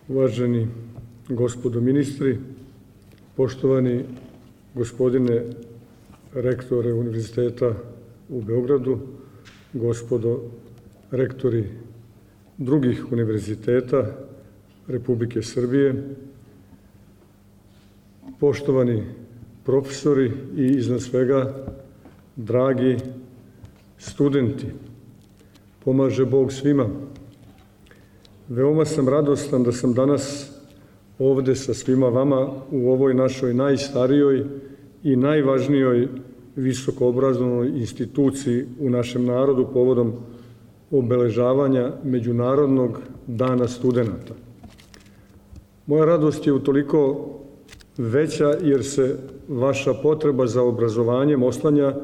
Uvaženi gospodo ministri, poštovani gospodine rektore Univerziteta u Beogradu, gospodo rektori drugih univerziteta Republike Srbije, poštovani profesori i iznad svega dragi studenti, pomaže Bog svima. Veoma sam radostan da sam danas ovde sa svima vama u ovoj našoj najstarijoj i najvažnijoj visokoobrazovnoj instituciji u našem narodu povodom obeležavanja Međunarodnog dana studenata. Moja radost je utoliko veća jer se vaša potreba za obrazovanjem oslanja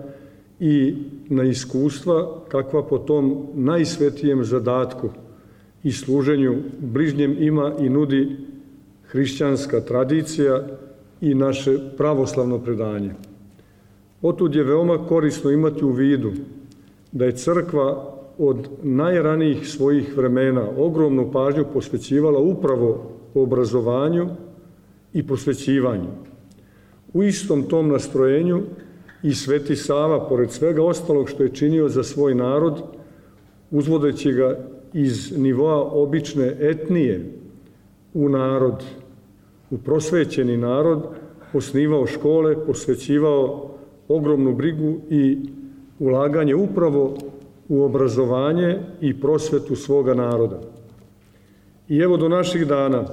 i na iskustva kakva po tom najsvetijem zadatku i služenju bližnjem ima i nudi hrišćanska tradicija i naše pravoslavno predanje. Otud je veoma korisno imati u vidu da je crkva od najranijih svojih vremena ogromnu pažnju posvećivala upravo obrazovanju i prosvećivanju. U istom tom nastrojenju i Sveti Sava, pored svega ostalog što je činio za svoj narod, uzvodeći ga iz nivoa obične etnije u narod, u prosvećeni narod, osnivao škole, posvećivao ogromnu brigu i ulaganje upravo u obrazovanje i prosvetu svoga naroda. I evo do naših dana,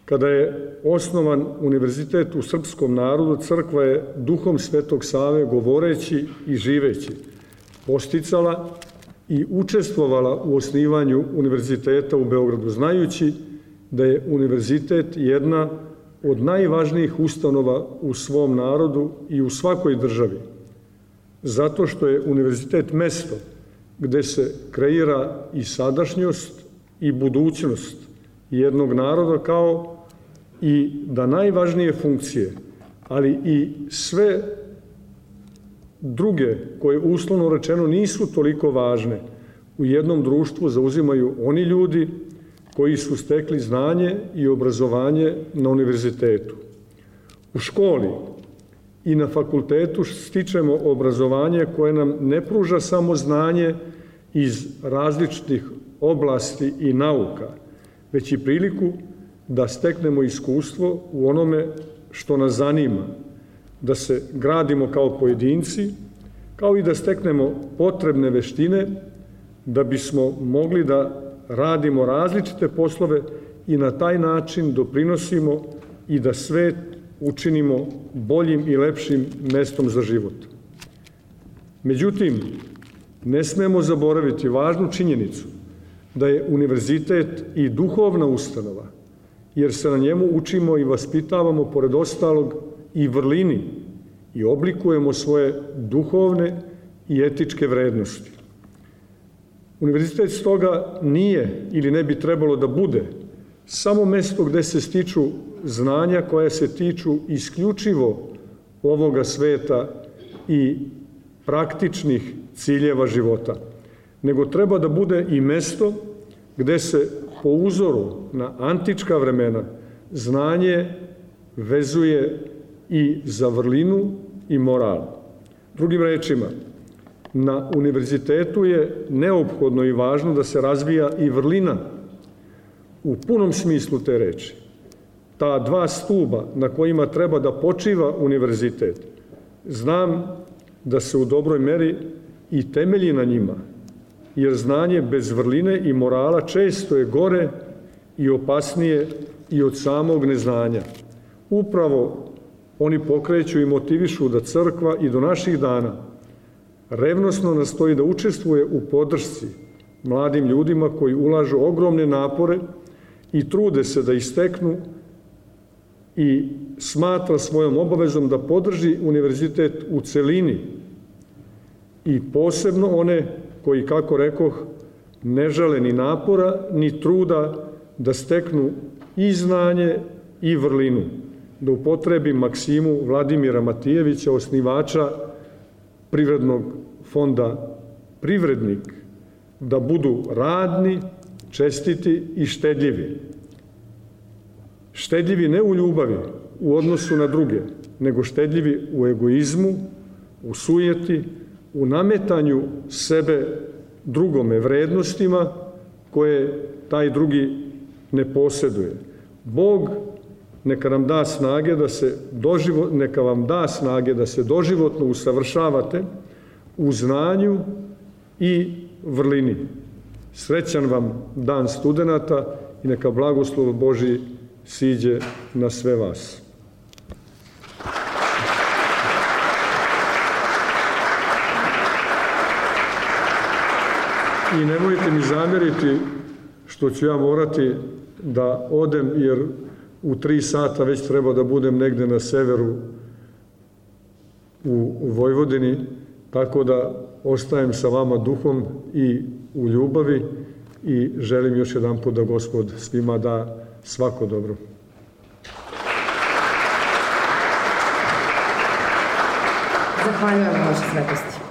kada je osnovan univerzitet u srpskom narodu, crkva je duhom Svetog Save, govoreći i živeći, posticala i učestvovala u osnivanju univerziteta u Beogradu, znajući da je univerzitet jedna od najvažnijih ustanova u svom narodu i u svakoj državi, zato što je univerzitet mesto gde se kreira i sadašnjost i budućnost jednog naroda, kao i da najvažnije funkcije, ali i sve druge koje uslovno rečeno nisu toliko važne u jednom društvu zauzimaju oni ljudi koji su stekli znanje i obrazovanje na univerzitetu. U školi i na fakultetu stičemo obrazovanje koje nam ne pruža samo znanje iz različitih oblasti i nauka, već i priliku da steknemo iskustvo u onome što nas zanima, da se gradimo kao pojedinci, kao i da steknemo potrebne veštine da bismo mogli da radimo različite poslove i na taj način doprinosimo i da svet učinimo boljim i lepšim mestom za život. Međutim, ne smemo zaboraviti važnu činjenicu da je univerzitet i duhovna ustanova, jer se na njemu učimo i vaspitavamo, pored ostalog, i vrlini i oblikujemo svoje duhovne i etičke vrednosti. Univerzitet stoga nije ili ne bi trebalo da bude samo mesto gde se stiču znanja koja se tiču isključivo ovoga sveta i praktičnih ciljeva života, nego treba da bude i mesto gde se po uzoru na antička vremena znanje vezuje i za vrlinu i moral. Drugim rečima, na univerzitetu je neophodno i važno da se razvija i vrlina u punom smislu te reči. Ta dva stuba na kojima treba da počiva univerzitet, znam da se u dobroj meri i temelji na njima, jer znanje bez vrline i morala često je gore i opasnije i od samog neznanja. Upravo oni pokreću i motivišu da crkva i do naših dana revnosno nastoji da učestvuje u podršci mladim ljudima koji ulažu ogromne napore i trude se da isteknu i smatra svojom obavezom da podrži univerzitet u celini i posebno one koji, kako rekoh, ne žale ni napora ni truda da steknu i znanje i vrlinu, da upotrebim maksimu Vladimira Matijevića, osnivača Privrednog fonda Privrednik, da budu radni, čestiti i štedljivi. štedljivi ne u ljubavi, u odnosu na druge, nego štedljivi u egoizmu, u sujeti, u nametanju sebe drugome vrednostima koje taj drugi ne posjeduje. Bog neka nam da snage neka vam da snage da se doživotno usavršavate u znanju i vrlini. Srećan vam dan studenata i neka blagoslov Božji siđe na sve vas. I nemojte mi zamjeriti što ću ja morati da odem, jer u 3 sata već treba da budem negde na severu u Vojvodini, tako da ostajem sa vama duhom i u ljubavi i želim još jedan put da Gospod svima da svako dobro. Zahvaljujem vaše svetosti.